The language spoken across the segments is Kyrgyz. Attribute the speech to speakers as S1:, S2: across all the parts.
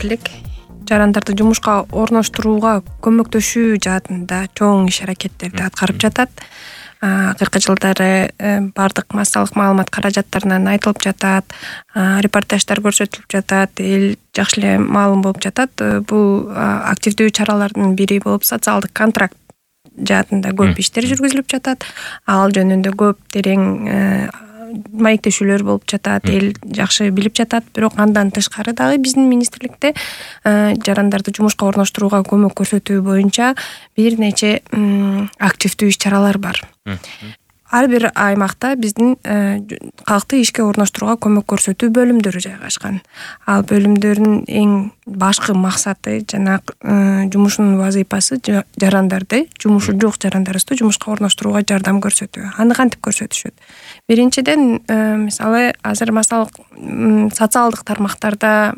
S1: министрлик жарандарды жумушка орноштурууга көмөктөшүү жаатында чоң иш-аракеттерди аткарып жатат. Акыркы жылдары бардык массалык маалымат каражаттарынан айтылып жатат, репортаждар көрсөтүлүп жатат, эл жакшы эле маалым болуп жатат. Бул активдүү чаралардын бири болуп социалдык контракт жаатында көп иштер жүргүзүлүп жатат. Ал жөнүндө көп терең маектешүүлөр болуп жатат, эл жакшы билип жатат. Бирок андан тышкары дагы биздин министрликте жарандарды жумушка орноштурууга көмөк көрсөтүү боюнча бир нече активдүү иш-чаралар бар. Ар бир аймакта биздин калкты ишке орноштурууга көмөк көрсөтүү бөлүмдөрү жайгашкан. Ал бөлүмдөрдүн эң башкы максаты жана жумушунун вазыйпасы жарандарды, жумушу жок жарандарыбызды жумушка орноштурууга жардам көрсөтүү. Аны кантип көрсөтүшөт? Биринчиден, мисалы, азыр социалдык тармактарда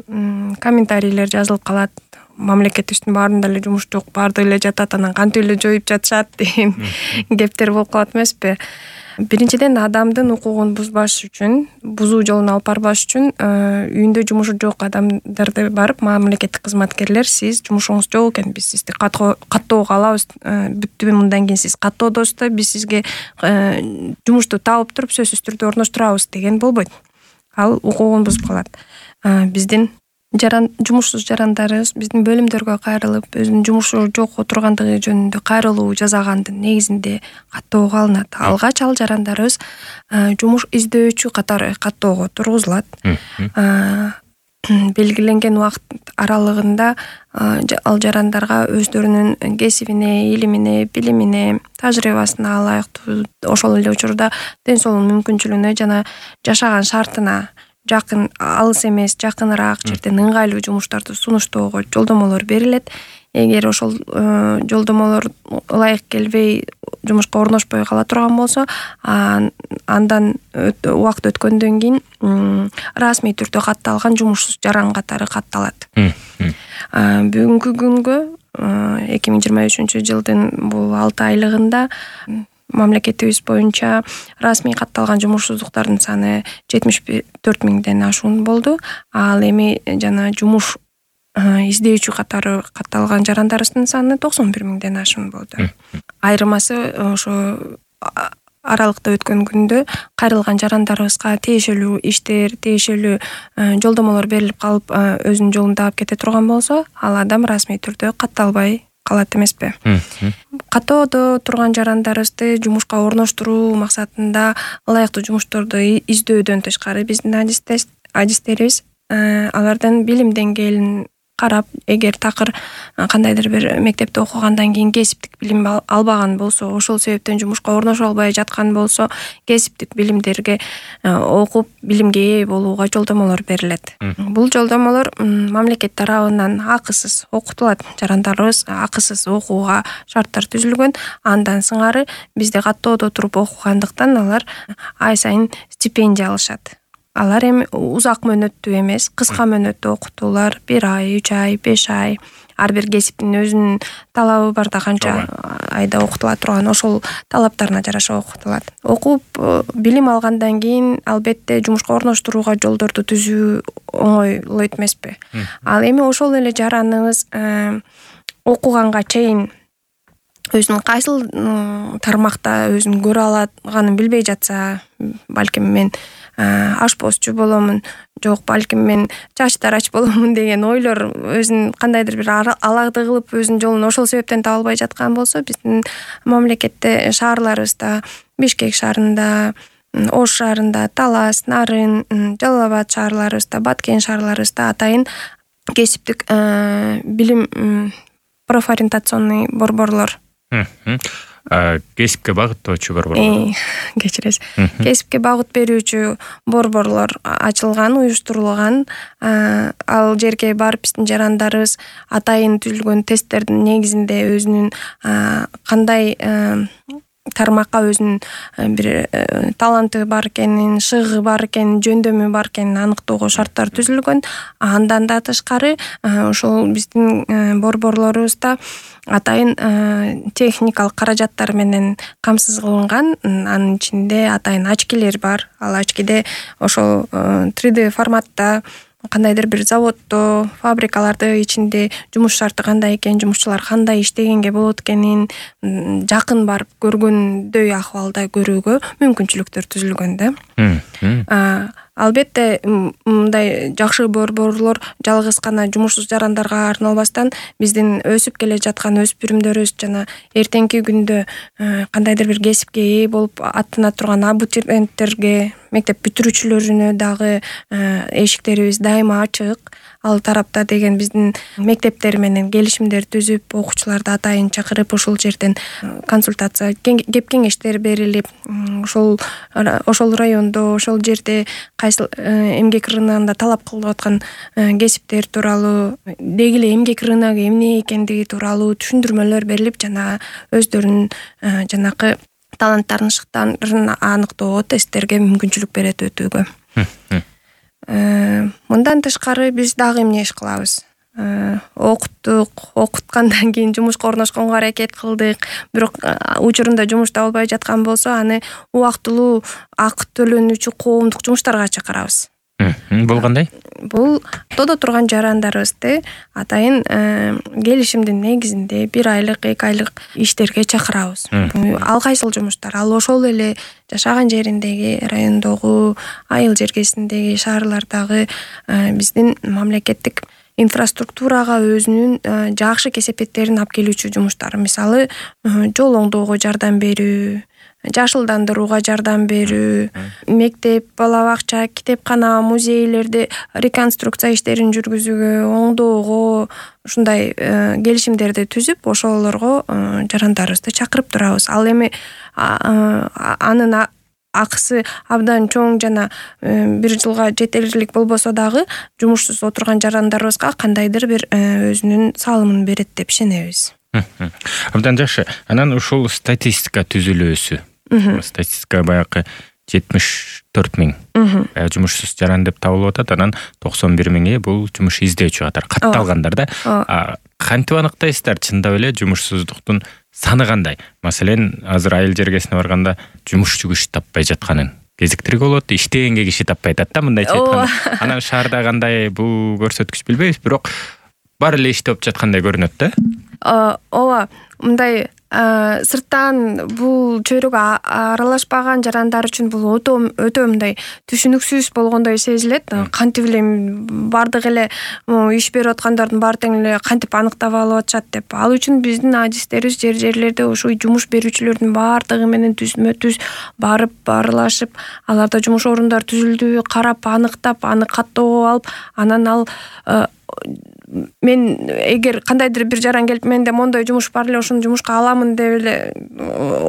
S1: комментарийлер жазылып калат. Мамлекетибиздин баарында эле жумуш жок, баардыгы эле жатат, анан кантип эле жоюп жатышат деген кептер болуп калат эмеспи? Биринчиден, адамдын укугун бузуу жолуна алып барбаш үчүн үйүндө жумушу жок адамдарды барып, мамлекеттик кызматкерлер, сиз жумушуңуз жок экен, биз сизди каттоого алабыз, бүттү, мындан кийин сиз каттоодосузда, биз сизге жумушту таап туруп сөзсүз түрдө орноштурабыз деген болбойт. Ал укугун бузуп калат. Биздин жумушсуз жарандарыбыз биздин бөлүмдөргө кайрылып, өзүнүн жумушу жок отургандыгы жөнүндө кайрылуу жасагандын негизинде каттоого алынат. Алгач ал жарандарыбыз жумуш издөөчү катары каттоого тургузулат. Белгиленген убакыт аралыгында ал жарандарга өздөрүнүн кесибине, илимине, билимине, тажрыйбасына ылайыктуу, ошол эле учурда ден соолук мүмкүнчүлүгүнө жана жашаган шартына жакын, алыс эмес, жакыныраак жерден ыңгайлуу жумуштарды сунуштоого жолдомолор берилет. Эгер ошол жолдомолор ылайык келбей, жумушка орношпой кала турган болсо, андан убакыт өткөндөн кийин расмий түрдө катталган жумушсуз жаран катары катталат. Бүгүнкү күнгө 2023 жылдын бул 6 айлыгында мамлекетибиз боюнча расмий катталган жумушсуздуктардын саны 74 миңден ашуун болду. Ал эми жана жумуш издөөчү катары катталган жарандарыбыздын саны 91 миңден ашуун болду. Айырмасы ошо аралыкта өткөн күндө кайрылган жарандарыбызга тиешелүү иштер, тиешелүү жолдомолор берилип калып, өзүнүн жолун таап кете турган болсо, ал адам расмий түрдө катталбай калат эмеспи? Каттоодо турган жарандарыбызды жумушка орноштуруу максатында ылайыктуу жумушторду издөөдөн тышкары биздин адистерибиз алардын билим деңгээлин карап, эгер такыр кандайдыр бир мектепте окугандан кийин кесиптик билим албаган болсо, ошол себептен жумушка орношо албай жаткан болсо, кесиптик билимдерге окуп, билимге ээ болууга жолдомолор берилет. Бул жолдомолор мамлекет тарабынан акысыз окутулат. Жарандарыбыз акысыз окууга шарттар түзүлгөн. Андан сыңары бизде каттоодо туруп окугандыктан алар ай сайын стипендия алышат. Алар эми узак мөөнөттүү эмес, кыска мөөнөттүү окутуулар, 1 ай, 3 ай, 5 ай. Ар бир кесиптин өзүнүн талабы бар да, канча айда окутула турган, ошол талаптарына жараша окутулат. Окуп, билим алгандан кийин албетте жумушка орноштурууга жолдорду түзүү оңойлойт эмеспи? Ал эми ошол эле жараныбыз окуганга чейин өзүнүн кайсыл тармакта өзүн көрө алаганын билбей жатса, балким мен ашпозчу боломун, жок балким мен чач тарач боломун деген ойлор өзүн кандайдыр бир алагды кылып өзүнүн жолун ошол себептен таба албай жаткан болсо, биздин мамлекетте шаарларыбызда, Бишкек шаарында, Ош шаарында, Талас, Нарын, Жалал Абад шаарларыбызда, Баткен шаарларыбызда атайын кесиптик билим профориентационный борборлор,
S2: кесипке багыттоочу борборлор,
S1: кечиресиз, кесипке багыт берүүчү борборлор ачылган, уюштурулган. Ал жерге барып биздин жарандарыбыз атайын түзүлгөн тесттердин негизинде өзүнүн кандай тармакка өзүнүн бир таланты бар экенин, шыгы бар экенин, жөндөмү бар экенин аныктоого шарттар түзүлгөн. Андан да тышкары ошол биздин борборлорубузда атайын техникалык каражаттар менен камсыз кылынган. Анын ичинде атайын очкилер бар. Ал очкиде ошол 3D форматта кандайдыр бир заводдо, фабрикаларды ичинде жумуш шарты кандай экен, жумушчулар кандай иштегенге болот экенин жакын барып көргөндөй акыбалда көрүүгө мүмкүнчүлүктөр түзүлгөн да. Албетте мындай жакшы борборлор жалгыз гана жумушсуз жарандарга арналбастан биздин өсүп келе жаткан өспүрүмдөрүбүз жана эртеңки күндө кандайдыр бир кесипке ээ болуп аттана турган абитуриенттерге, мектеп бүтүрүүчүлөрүнө дагы эшиктерибиз дайыма ачык. Ал тарапта деген биздин мектептер менен келишимдер түзүп, окуучуларды атайын чакырып, ошол жерден консультация, кеп кеңештер берилип, ошол райондо, ошол жерде кайсыл эмгек рыногунда талап кылып аткан кесиптер тууралуу, деги эле эмгек рыногу эмне экендиги тууралуу түшүндүрмөлөр берилип, жана өздөрүнүн жанакы таланттарын, шыктарын аныктоого тесттерге мүмкүнчүлүк берет өтүүгө. Мындан тышкары биз дагы эмне иш кылабыз? Окуткандан кийин жумушка орношконго аракет кылдык. Бирок учурунда жумуш табылбай жаткан болсо, аны убактылуу акы төлөнүүчү коомдук жумуштарга чакырабыз.
S2: Бул кандай?
S1: Бул ортодо турган жарандарыбызды атайын келишимдин негизинде 1 айлык, 2 айлык иштерге чакырабыз. Ал кайсыл жумуштар? Ал ошол эле жашаган жериндеги, райондогу, айыл жергесиндеги, шаарлардагы биздин мамлекеттик инфраструктурага өзүнүн жакшы кесепеттерин алып келүүчү жумуштар. Мисалы, жол оңдоого жардам берүү, жашылдандырууга жардам берүү, мектеп, бала бакча, китепкана, музейлерди реконструкция иштерин жүргүзүүгө, оңдоого ушундай келишимдерди түзүп, ошолорго жарандарыбызды чакырып турабыз. Ал эми анын акысы абдан чоң жана 1 жылга жетерлик болбосо дагы жумушсуз отурган жарандарыбызга кандайдыр бир өзүнүн салымын берет деп ишенебиз.
S2: Абдан жакшы. Анан ушул статистика түзүлүүсү. Статистика баягы 74 миң жумушсуз жаран деп табылып атат. Анан 91 миңи бул жумуш издөөчү катары катталгандар да. Кантип аныктайсыздар чындап эле жумушсуздуктун саны кандай? Маселен, азыр айыл жергесине барганда жумушчу киши таппай жатканын кезиктирүүгө болот, иштегенге киши таппай атат да, мындайча айтканда. Анан шаарда кандай бул көрсөткүч билбейбиз, бирок баары эле иштеп жаткандай көрүнөт да.
S1: Ооба, мындай сырттан бул чөйрөгө аралашпаган жарандар үчүн бул өтө мындай түшүнүксүз болгондой сезилет. Кантип эле бардык эле иш берип аткандардын баары тең эле кантип аныктап алып атышат деп. Ал үчүн биздин адистерибиз жерлерде ошо жумуш берүүчүлөрдүн баардыгы менен түзмө-түз барып аралашып, аларда жумуш орундары түзүлдүбү карап, аныктап, аны каттоого алып, анан ал мен эгер кандайдыр бир жаран келип менде мондой жумуш бар эле, ошону жумушка аламын деп эле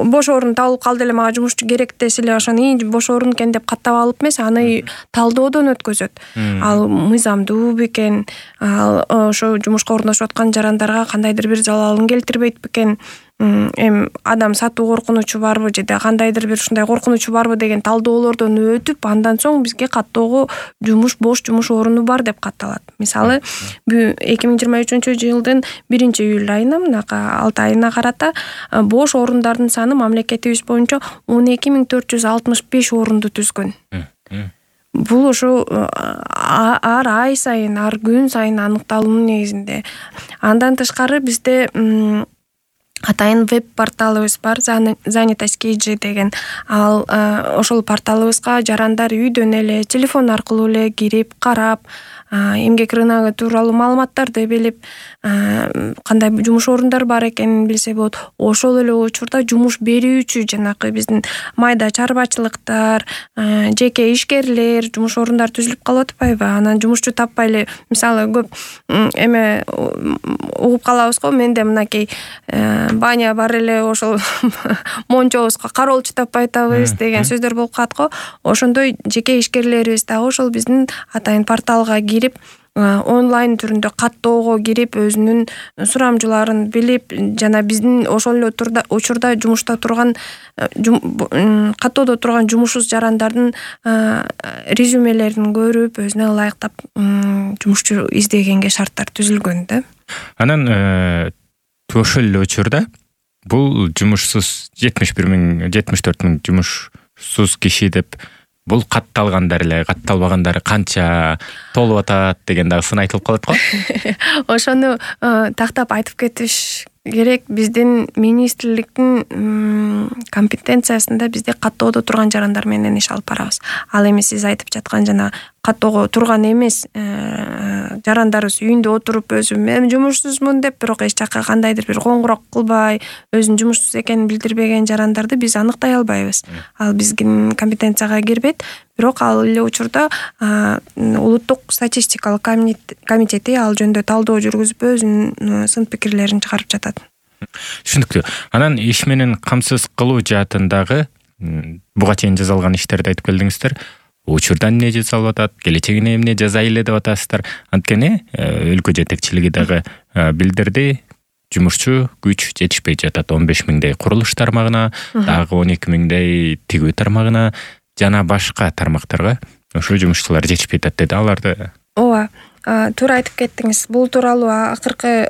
S1: бош орун табылып калды эле, мага жумушчу керек десе эле, ошону бош орун экен деп каттап алып эмес, аны талдоодон өткөзөт. Ал мыйзамдуу бекен, ал ошо жумушка орношуп аткан жарандарга кандайдыр бир залалын келтирбейт бекен, адам сатуу коркунучу барбы же кандайдыр бир ушундай коркунучу барбы деген талдоолордон өтүп, андан соң бизге каттоого бош жумуш оруну бар деп катталат. Мисалы, 2023-жылдын 1-июль айына, мынакы 6 айына карата бош орундардын саны мамлекетибиз боюнча 12.465 орунду түзгөн. Бул ошо ар ай сайын, ар күн сайын аныкталуунун негизинде. Андан тышкары бизде атайын веб-порталыбыз бар, Занятость KG деген. Ал ошол порталыбызга жарандар үйдөн эле, телефон аркылуу эле кирип, карап, эмгек рыногу тууралуу маалыматтарды билип, кандай жумуш орундары бар экенин билсе болот. Ошол эле учурда жумуш берүүчү жанакы биздин майда чарбачылыктар, жеке ишкерлер жумуш орундары түзүлүп калып атпайбы? Анан жумушчу таппай эле, мисалы, көп угуп калабыз го, менде мынакей баня бар эле, ошол мончобузга кароолчу таппай атабыз деген сөздөр болуп калат го. Ошондой жеке ишкерлерибиз дагы ошол биздин атайын порталга кирип, онлайн түрүндө каттоого кирип, өзүнүн сурамжыларын билип, жана биздин ошол эле учурда жумушта турган, каттоодо турган жумушсуз жарандардын резюмелерин көрүп, өзүнө ылайыктап жумушчу издегенге шарттар түзүлгөн да.
S2: Анан ошол эле учурда бул жумушсуз 74 миң жумушсуз киши деп бул катталгандар эле, катталбагандары канча, толуп атат деген дагы сын айтылып калат го.
S1: Ошону тактап айтып кетиш керек. Биздин министрликтин компетенциясында бизде каттоодо турган жарандар менен иш алып барабыз. Ал эми сиз айтып жаткан жана каттоого турган эмес жарандарыбыз үйүндө отуруп өзү мен жумушсузмун деп, бирок эч жака кандайдыр бир коңгуроо кылбай, өзүнүн жумушсуз экенин билдирбеген жарандарды биз аныктай албайбыз. Ал биздин компетенцияга кирбейт. Бирок ал эле учурда улуттук статистикалык комитети ал жөнүндө талдоо жүргүзүп өзүнүн сын пикирлерин чыгарып жатат.
S2: Түшүнүктүү. Анан иш менен камсыз кылуу жаатындагы буга чейин жасалган иштерди айтып келдиңиздер. Учурда эмне жасалып атат, келечегине эмне жасай эле деп атасыздар. Анткени өлкө жетекчилиги дагы билдирди. Жумушчу күч жетишпей жатат. 15 миңдей курулуш тармагына, дагы 12 миңдей тигүү тармагына жана башка тармактарга ошол жумушчулар жетишпей атат деди. Аларды
S1: ооба, туура айтып кеттиңиз. Бул тууралуу акыркы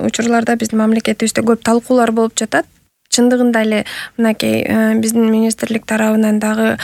S1: учурларда биздин мамлекетибизде көп талкуулар болуп жатат. Чындыгында эле мынакей биздин министрлик тарабынан дагы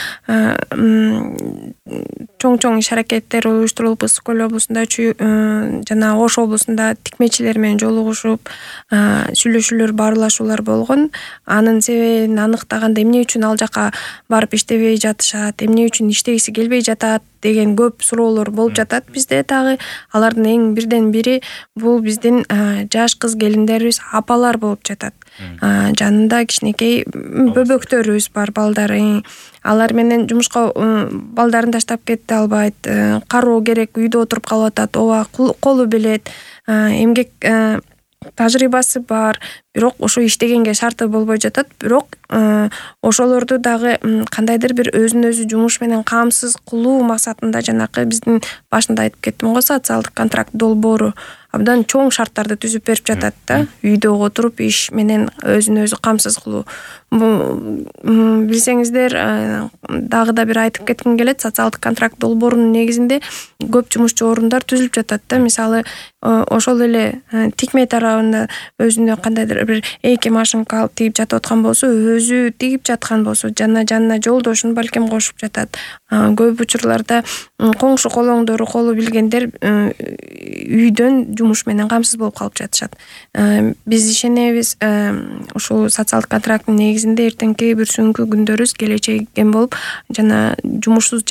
S1: чоң иш аракеттер уюштурулуп, Ысык Көл облусунда жана Ош облусунда тикмечилер менен жолугушуп сүйлөшүүлөр, баарлашуулар болгон. Анын себебин аныктаганда эмне үчүн ал жака барып иштебей жатышат, эмне үчүн иштегиси келбей жатат деген көп суроолор болуп жатат бизде дагы. Алардын эң бирден бири бул биздин жаш кыз келиндерибиз, апалар болуп жатат. Жанында кичинекей бөбөктөрүбүз бар, балдары. Алар менен жумушка балдарын таштап кете албайт, кароо керек, үйдө отуруп калып атат. Ооба, колу билет, эмгек тажрыйбасы бар, бирок ошо иштегенге шарты болбой жатат. Бирок ошолорду дагы кандайдыр бир өзүн өзү жумуш менен камсыз кылуу максатында жанакы биздин башында айтып кеттим го, социалдык контракт долбоору абдан чоң шарттарды түзүп берип жатат да. Үйдө отуруп иш менен өзүн өзү камсыз кылуу. Билсеңиздер, дагы да бир айтып кетким келет, социалдык контракт долбоорунун негизинде көп жумушчу орундар түзүлүп жатат да. Мисалы, ошол эле тикме тарабында өзүнө кандайдыр бир эки машинка алып тигип жатып аткан болсо, өзү тигип жаткан болсо, жанына жолдошун балким кошуп жатат. Көп учурларда коңшу колоңдору, колу билгендер үйдөн жумуш менен камсыз болуп калып жатышат. Биз ишенебиз, ушул социалдык контракттын негизинде эртеңки бүрсүңкү күндөрүбүз келечеген болуп, жана жумушсуз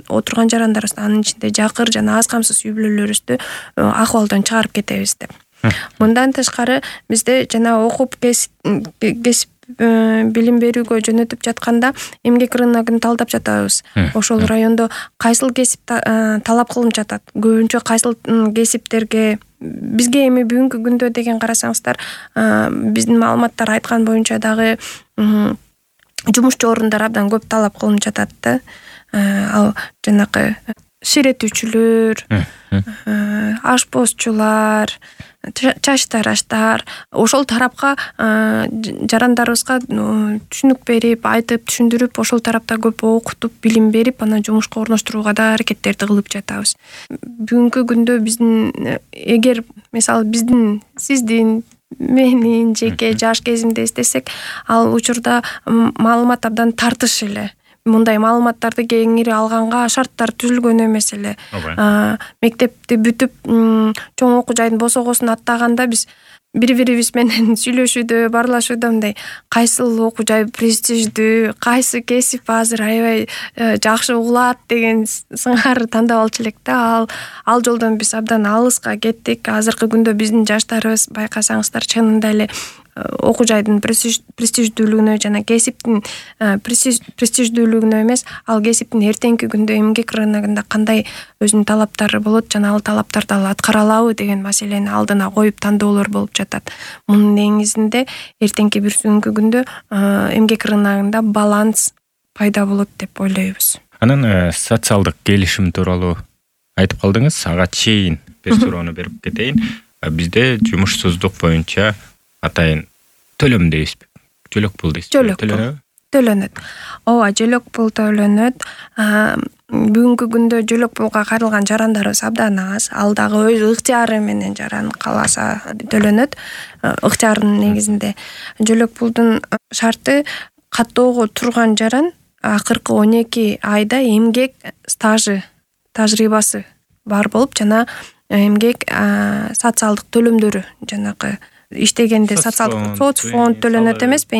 S1: отурган жарандарыбыз, анын ичинде жакыр жана аз камсыз үй бүлөлөрүбүздү акыбалдан чыгарып кетебиз деп. Мындан тышкары бизде жана окуп кесип билим берүүгө жөнөтүп жатканда эмгек рыногун талдап жатабыз. Ошол райондо кайсыл кесип талап кылынып жатат, көбүнчө кайсыл кесиптерге. Бизге эми бүгүнкү күндө деген карасаңыздар, биздин маалыматтар айткан боюнча дагы жумушчу орундар абдан көп талап кылынып жатат да. Ал жанакы ширетүүчүлөр, ашпозчулар, чачтараштар, ошол тарапка жарандарыбызга түшүнүк берип, айтып, түшүндүрүп, ошол тарапта көп окутуп, билим берип, анан жумушка орноштурууга да аракеттерди кылып жатабыз. Бүгүнкү күндө биздин, эгер мисалы биздин, сиздин, менин жеке жаш кезимде эстесек, ал учурда маалымат абдан тартыш эле. Мындай маалыматтарды кеңири алганга шарттар түзүлгөн эмес эле. Мектепти бүтүп, чоң окуу жайдын босогосун аттаганда биз бири-бирибиз менен сүйлөшүүдө, баарлашууда мындай кайсыл окуу жай престиждүү, кайсы кесип азыр аябай жакшы угулат деген сыңар тандап алчу элек да. Ал жолдон биз абдан алыска кеттик. Азыркы күндө биздин жаштарыбыз байкасаңыздар чынында эле окуу жайдын престиждүүлүгүнө жана кесиптин престиждүүлүгүнө эмес, ал кесиптин эртеңки күндө эмгек рыногунда кандай өзүнүн талаптары болот жана ал талаптарды аткара алабы деген маселени алдына коюп тандоолор болуп жатат. Мунун негизинде эртеңки бүрсүңкү күндө эмгек рыногунда баланс пайда болот деп ойлойбуз.
S2: Анан социалдык келишим тууралуу айтып калдыңыз. Ага чейин бир суроону берип кетейин. Бизде жумушсуздук боюнча атайын төлөм дейбизби? Жөлөк пул дейсизби?
S1: Төлөнөт. Ооба, жөлөк пул төлөнөт. Бүгүнкү күндө жөлөк пулга кайрылган жарандарыбыз абдан аз. Ал дагы өз ыктыяры менен жаран кааласа төлөнөт. Ыктыярынын негизинде жөлөк пулдун шарты каттоого турган жаран акыркы 12 айда эмгек стажы, тажрыйбасы бар болуп, жана эмгек социалдык төлөмдөрү, жанагы иштегенде социалдык соцфонд төлөнөт эмеспи,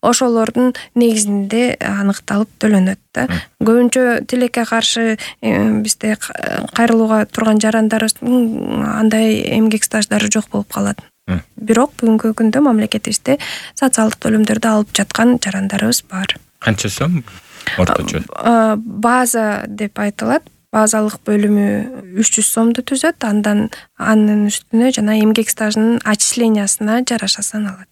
S1: ошолордун негизинде аныкталып төлөнөт да. Көбүнчө тилекке каршы бизде кайрылууга турган жарандарыбыздын андай эмгек стаждары жок болуп калат. Бирок бүгүнкү күндө мамлекетибизде социалдык төлөмдөрдү алып жаткан жарандарыбыз бар.
S2: Канча сом орточо?
S1: База деп айтылат. Базалык бөлүмү 300 сомду түзөт, анын үстүнө жана эмгек стажынын отчислениясына жараша саналат.